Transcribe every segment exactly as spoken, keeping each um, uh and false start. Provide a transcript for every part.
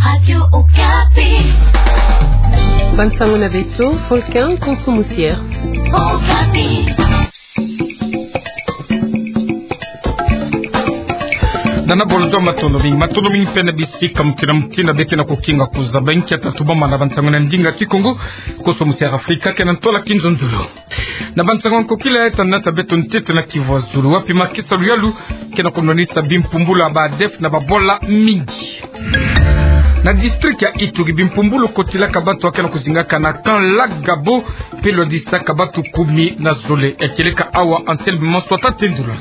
Radio Okapi. Bansango na beto, Volcan Konso Musier. Okapi. Nana bolo do matondo mingi, matondo mingi mpe na bisika mutindu na mutindu beke na kukinga kuzaba nkia tatu bamana bansango na ndinga Kikongo, Konso Musier Afrika, ke na ntwala kinzonzolo. Na bansango nkokila ya tana ta beto ntete na Kivu ya Zulu, wapi makesa luyalu ke na kunwanisa bimpumbulu ya ba ADF na babwala mingi. Na district ya Ituri, bimpumbulu kotilaka batu ya ke na kuzingaka na camp Lac Gabo, mpe lwadisaka batu kumi na zole. Ya kieleka awa Anselme Maswata Tendula.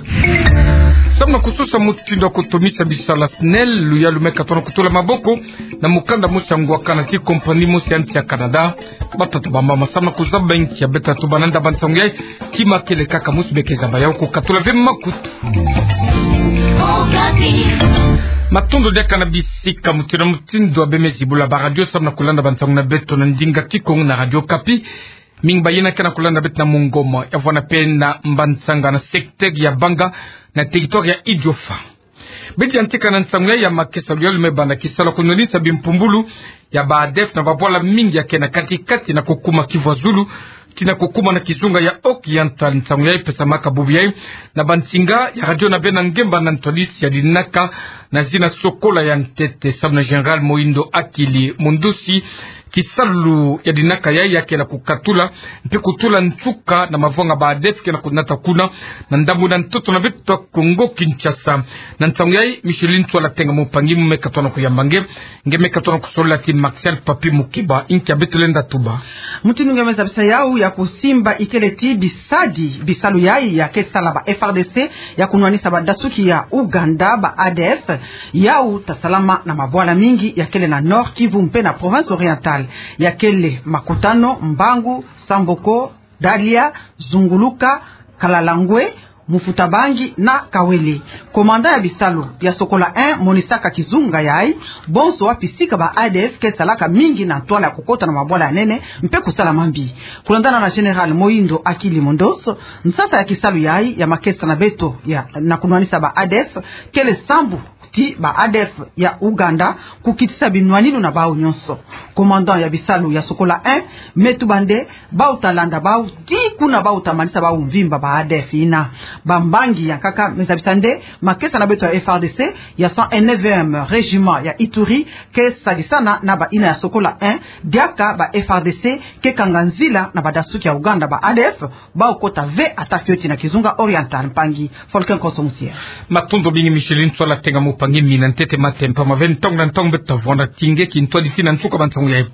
Samu na kusosa mutindu ya kutomisa bisalu ya SNEL, luyalu me katona kutula maboko na mukanda mosi ya ngwakana ti compagnie mosi ya nsi ya Canada. Batata bamama, samu na kuzaba nkia beta tubana nda bansango yayi, kima kele kaka musi beke zaba yau ko katula ve makutu. Matondo diaka na bisika mutindu na mutindu ya bemezi bula ba radio samu na kulanda bansango na beto na ndinga Kikongo na Radio Okapi. Mingi bayina ke na kulanda beto na Mongomo, ya vwanda mpe na Mbantsanga na secteur ya Banga na territoire ya Idiofa. Beti yantika na nsangu ya, ya makesa luyalu me banda kisalu ya kunwanisa bimpumbulu ya ba ADF na babwala mingi ya ke na kati-kati na kukuma Kivu ya Zulu, tii na kukuma na kizunga ya Oriental. Nsangu ya ipesamaka bubu ya na bansinga ya radio na bena ngemba na ntwadisi ya dinaka na zina Sokola ya ntete, samu na Général Mohindo Akili Mundusi. Kisalu ya dinaka ya, ya ke na kukatula mpe kutula nsuka na mavanga ba ADF ke na kunata kuna na ndambu na ntoto na beto Kongo Kinshasa. Na nsangu ya, Micheline Ntsola Tenga Mumpangi me katona kuyamba nge, nge me katona kusolola tii Martial Papi Mukeba. Nkia beto lenda tuba? Mutindu nge me zabisa yau ya kusimba ikele tii bisadi, bisalu ya, ya ke sala ba FARDC ya kunwanisa badasuki ya Ouganda, ba ADF, yau ta salama na mabwala mingi ya kele na Nord-Kivu mpe na province Orientale, ya kele Makutano, Mbangu, Samboko, Dalia, Zunguluka, Kalalangwe, Mufutabangi na Kawele. Commandant ya bisalu ya Sokola un monisaka kizunga yayi bonso wapi sika ba ADF ke salaka mingi na ntwala ya kukota na mabwala ya nene mpe kusala mambi. Kulandana na Général Mohindo Akili Mundusi, nsasa ya kisalu yayi ya makesa na beto ya na kunwanisa ba ADF kele sambu tii ba ADF ya Ouganda kukitisa binwaninu na bau nyonso. Commandant ya bisalu ya Sokola un me tuba nde bau ta landa bau tii kuna bau ta manisa bau mvimba ba ADF yina. Bambangi ya nkaka me zabisa nde makesa na beto ya FARDC ya cent et neuvième régiment ya Ituri ke sadisana na bayina ya Sokola un, diaka ba FARDC ke kanga nzila na badasuki ya Ouganda, ba ADF, bau kota ve ata fioti na kizunga Orientale. Mpangi Volcan Konso Musier. Matondo mingi Micheline Ntsola Tenga Mumpangi, mina ntete matempa mave ntangu na ntangu beto ta vwanda tii nge kintwadi tii na nsuka bansangu yayi.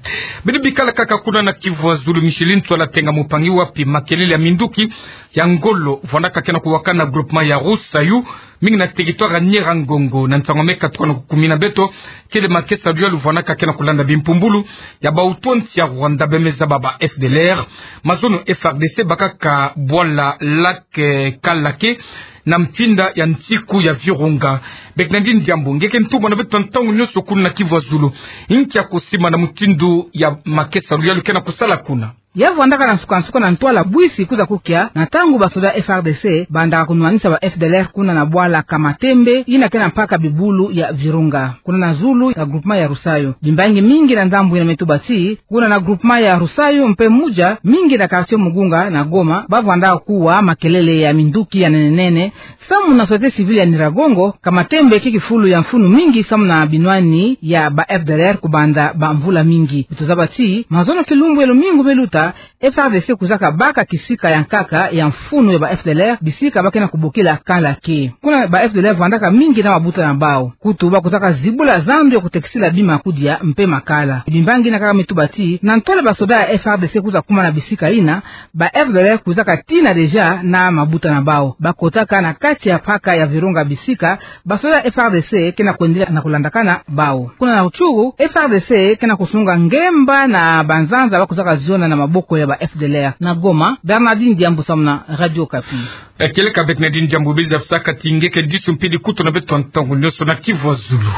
Beno bikala kaka kuna na Kivu ya Zulu, Micheline Ntsola Tenga Mumpangi, wapi makelele ya minduki ya ngolo vwandaka ke na kuwakana na groupement ya Rusayu, mingi na territoire ya Nyiragongo. Na nsangu me katuka na kukumina beto, kele makesa luyalu vwandaka ke na kulanda bimpumbulu ya bautu ya nsi ya Rwanda be me zaba ba FDLR. Mazono FARDC bakaka bwala Lac, eh, Kalake na mfinda ya nsiku ya Virunga. Bernardine Diambu, nge ke ntumwa na beto ntangu nyonso kuna na Kivu ya Zulu. Nkia kusimba na mutindu ya makesa luyalu ke na kusala kuna? Ya vwandaka na nsuka-nsuka na ntwala bwisi kwiza kukia na ntangu basoda FARDC bandaka kunwanisa ba FDLR kuna na bwala Kamatembe, yina ke na mpaka bibulu ya Virunga, kuna na zulu ya groupement ya Rusayu. Bimbangi mingi na ndambu yina me tuba tii, kuna na groupement ya Rusayu mpe Muja, mingi na quartier Mugunga na Goma, ba vwandaka kuwa makelele ya minduki ya nene-nene, samu na société civile ya Nyiragongo. Kamatembe ke kifulu ya mfunu mingi samu na binwani ya ba FDLR kubanda bamvula mingi. Beto zaba tii, mazono kilumbu ya lumingu me luta, FARDC kwizaka baka kisika ya nkaka ya mfunu ya ba FDLR, bisika ba ke na kubokila Kalake. Kuna ba FDLR vwandaka mingi na mabuta na bau. Kutu ba kwizaka zibula zandu ya kutekisila bima kudia mpe makala. Bimbangi yina kaka me tuba tii, na ntwala basoda ya FARDC kwiza kuma na bisika yina, ba FDLR kwizaka tina déjà na mabuta na bau. Ba kotaka na kati ya mpaka ya Virunga bisika basoda ya FARDC ke na kwendela na kulandakana bau. Kuna na Rutshuru, FARDC ke na kusunga ngemba na banzanza ba kwizaka ziona na maboko ya ba FDLR. Na Goma, Bernardine Diambu samu na Radio Okapi. Eh, kieleka Bernardine Diambu, beno zabisaka tii nge ke disu mpidi kutu na beto ntangu nyonso na Kivu ya Zulu.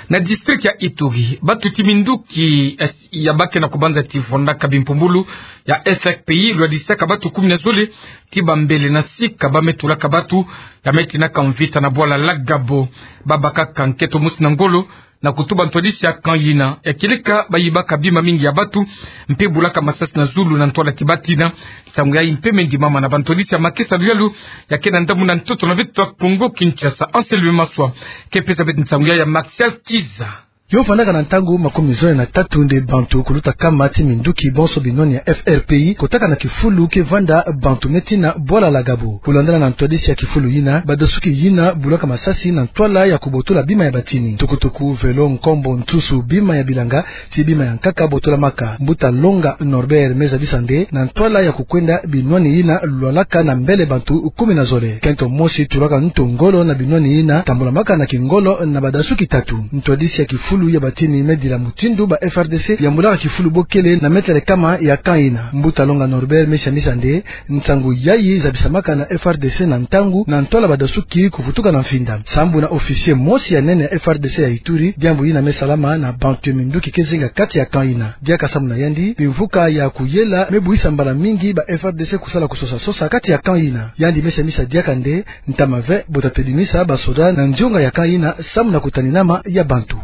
Na district ya Ituri, batuti minduki, eh, ya ba ke na kubanza tii vwandaka bimpumbulu ya FRPI lwadisaka batu kumi na zole, tii bambele na sika ba me tulaka batu, ya me tinaka mvita na bwala Lac Gabo. Ba bakaka nketo mosi na ngolo na kutuba ntwadisi ya camp yina. Ya kieleka bayibaka bima mingi ya bantu, mpe bulaka masasi na zulu na ntwala ti batina. Nsangu yayi mpe me ndimama na bantwadisi ya makesa luyalu ya ke na ndambu na ntoto na beto ya Kongo Kinshasa. Anselme Maswa ke pesa beto nsangu yayi ya Martial Kiza. Yo vandaka na ntangu makumi zole na tatu nde bantu kuluta nkama ti minduki bonso binwani ya F R P I kotaka na kifulu ke vanda bantu me tina Bwala la Gabo. Kulandana na ntwadisi ya kifulu yina, badasuki yina bulaka masasi na ntwala ya kubotola bima ya batini. Tukutuku, velo, nkombo, ntusu, bima ya bilanga, ti bima ya nkaka botolamaka. Mbuta Longa Norbert me zabisa nde na ntwala ya kukwenda binwani yina lwalaka na mbele bantu kumi na zole. Kento mosi tulaka ntu ngolo na binwani yina tambulamaka na kingolo na badasuki tatu. Ntwadisi ya kifulu ya batini me dila mutindu ba F R D C yambulaka kifulu bo kele na metele nkama ya camp yina. Mbuta Longa Norbert me siamisa nde nsangu yayi zabisamaka na F R D C na ntangu na ntwala badasuki kuvutuka na mfinda. Sambu na officier mosi ya nene ya F R D C ya Ituri, diambu yina me salama na bantu ya minduki ke zinga kati ya camp yina. Diaka sambu na yandi, bimvuka ya kuyela me buisa mbala mingi ba F R D C kusala kusosa-sosa kati ya camp yina. Yandi me siamisa diaka nde ntama ve bo ta tedimisa basoda na ndionga ya camp yina sambu na kutaninama ya bantu.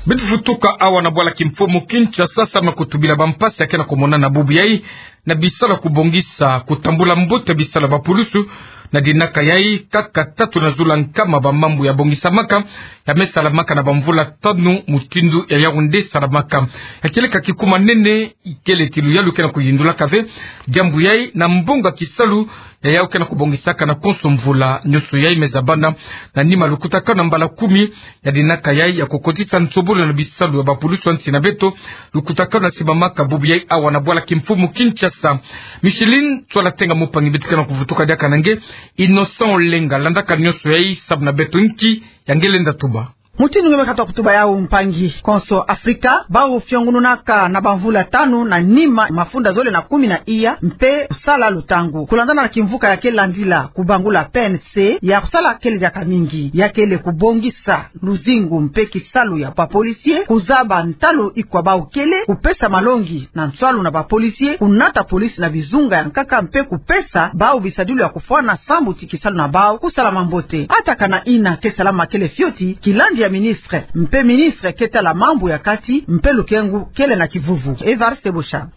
Beto vutuka awa na bwala kimfumu Kinshasa, samu na kutubila bampasi ya ke na kumonana bubu yayi na bisalu ya kubongisa kutambula mbote bisalu ya bapulusu. Na dinaka yayi, nkaka tatu na zulu ya nkama bamambu ya bongisamaka ya me salamaka na bamvula tanu mutindu ya Yaoundé salamaka. Ya kieleka kikuma nene, ikele ti luyalu ke na kuyindulaka ve diambu yayi na mbongo ya kisalu ya yawu ke na kubongisaka na konso mvula. Nionso yayi me zabana na nima lukutakanu na mbala kumi ya dinaka yayi ya kukotisa nsobolo na bisalu ya bapulusu ya nsi na beto. Lukutakanu na simbamaka bubu yayi awa na bwala kimfumu Kinshasa. Micheline Tswala Tenga Mupangi, beto ke na kuvutuka diaka na nge. Innocent Olenga landaka nionso yayi samu na beto. Nki ya nge lenda tuba? Mutindu nge me katuka kutuba yawu, mpangi, konso Afrika, bawu fiongununaka na bamvula tanu na nima mafunda zole na kumi na iya mpe kusala lutangu. Kulandana na kimvuka ya ke landila kubangula P N C, ya kusala kele diaka mingi. Ya kele kubongisa luzingu mpe kisalu ya bapolisier, kuzaba ntalu ikwa bawu kele, kupesa malongi na nswalu na bapolisier, kunata polisi na bizunga ya nkaka mpe kupesa bawu bisadilu ya kufwana sambu ti kisalu na bawu kusalama mbote. Ata kana ina ke salama kele fioti, kilandi ya ministre mpe ministre ke tala mambu ya kati mpe lukengu kele na kivuvu. Evariste Boshab.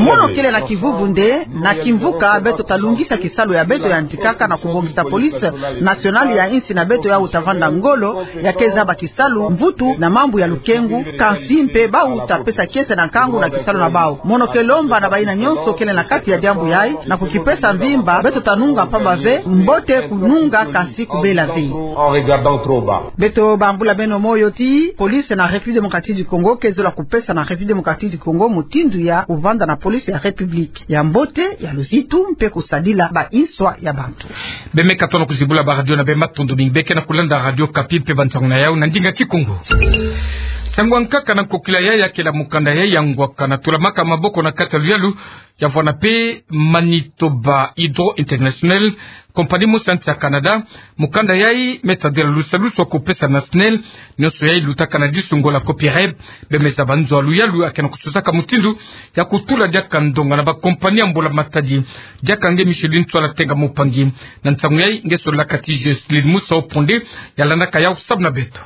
Mono kele na kivuvu nde na kimvuka beto ta lungisa kisalu ya beto yantikaka na kubongisa police nationale ya insi na beto, yawu ta vanda ngolo ya ke zaba kisalu, mvutu na mambu ya lukengu, kansi mpe bawu ta pesa kiese na nkangu na kisalu na bawu. Mono ke lomba na bayina nionso kele na kati ya diambu yayi na kukipesa mvimba. Beto ta nunga mpamba ve, mbote kununga kansi kubela ve. Beto bambula beno moyo ti police na République Démocratique du Congo ke zola kupesa na République Démocratique du Congo mutindu ya kuvanda na police ya République ya mbote, ya luzitu mpe kusadila bainswa ya bantu. Beno me katuka na kuzibula baradio na beno. Matondo mingi. Beno ke na kulanda Radio Okapi mpe bansangu na yawu na ndinga Kikongo. Nsangu ya nkaka na nkokila yayi ya kele mukanda yayi ya ngwaka na tulamaka maboko na kati ya luyalu ya vwanda mpe Manitoba Hydro International, compagnie mosi ya nsi ya Canada. Mukanda yayi me tadila lusalusu ya kupesa na SNEL nionso yayi lutaka na disunga la copyright. Beno me zaba nzo ya luyalu ya ke na kususaka mutindu ya kutula diaka ndonga na bacompagnie ya mbula-matadi. Diaka nge Micheline Tswala Tenga Mupangi. Na nsangu yayi nge solaka ti Jocelyne Musa Oponde, ya landaka yawu samu na beto.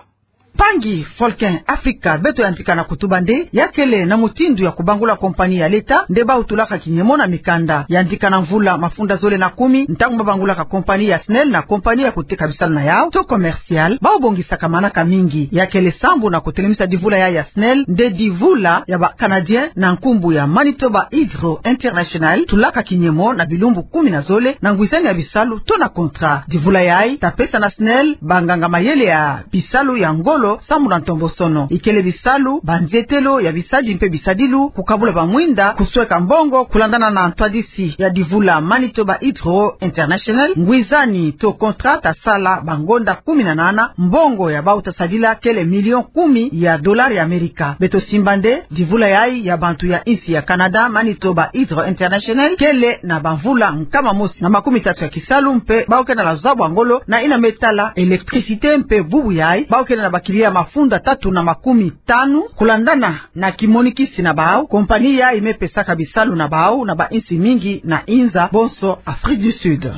Mpangi Volcan Africa, beto yantika na kutuba nde ya kele na mutindu ya kubangula compagnie ya leta nde bawu tulaka kinyemo na mikanda. Yantika na mvula mafunda zole na kumi, ntangu babangulaka compagnie ya SNEL na compagnie ya kuteka bisalu na yawu to commercial, bawu bongisaka manaka mingi. Ya kele sambu na kutelemisa divula yayi ya SNEL nde divula ya ba Canadien na nkumbu ya Manitoba Hydro International tulaka kinyemo na bilumbu kumi na zole na ngwizani ya bisalu to na contrat. Divula yayi ta pesa na SNEL banganga-mayele ya bisalu ya ngolo samu na ntombosono, ikele bisalu, banzietelo ya bisadi mpe bisadilu, kukabula bamwinda, kusweka mbongo. Kulandana na ntwadisi ya divula Manitoba Hydro International, ngwizani to contrat ta sala bangonda kumi na nana, mbongo ya bawu ta sadila kele million kumi ya dollars ya Amerika. Beto simba nde divula yayi ya bantu ya insi ya Canada, Manitoba Hydro International, kele na bamvula nkama mosi na makumi tatu ya kisalu mpe bawu ke na la zaba ngolo na yina me tala électricité mpe bubu yayi bawu kele na ba clients mafunda tatu na makumi tanu. Kulandana na kimonikisi na bawu, compagnie yayi me pesaka bisalu na bawu na bainsi mingi na inza, bonso Afrique du Sud.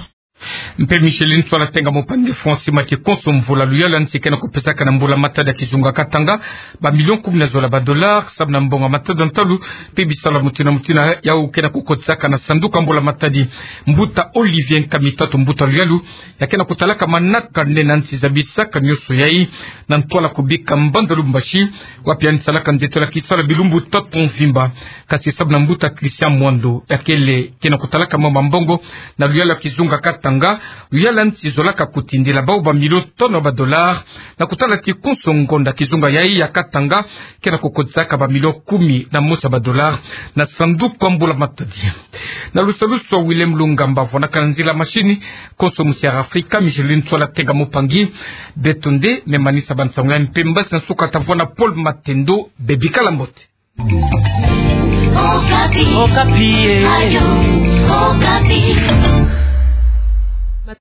Mpe Micheline Ntsoala Tenga Mopangui afo simati konso mvola luyalu ya nsi ke na kupesaka na mbula matadi ya kizunga Katanga ba million kumi na zola ba dollars, sababu na mbonga matadi ya ntalu mpe bisalu ya mutindu na mutindu yau ke na kukotisaka na sanduku ya mbula matadi. Mbuta Olivier Nkamitatu, mbuta luyalu, ya ke na kutalaka manaka nene ya nsi zabisaka nioso yai na ntwala kubika mbanda Lubumbashi, wapi yandi salaka nzietolo ya kisalu ya bilumbu tatu mvimba. Kasi sababu na mbuta Christian Mwando, ya kele ke na kutalaka mama mbongo na luyalu ya kizunga Katanga, luyalu ya nsi zolaka kutindila bau ba million tanu ba dollars, na kutala ti konso ngonda kizunga yai ya Katanga ke na kukotisaka ba million kumi na mosi ba dollars na sanduku ya mbula matadi. Na lusalusu ya Willem Lungamba, vwanakana nzila machine, konso musi'Afrika Micheline Ntsoala Tenga Mopangui. Beto nde me manisa ba nsangu ya mpemba, si na suka tavwana Paul Matendo. Bebikala mbote. Okapi. Okapi, eh. Radio Okapi.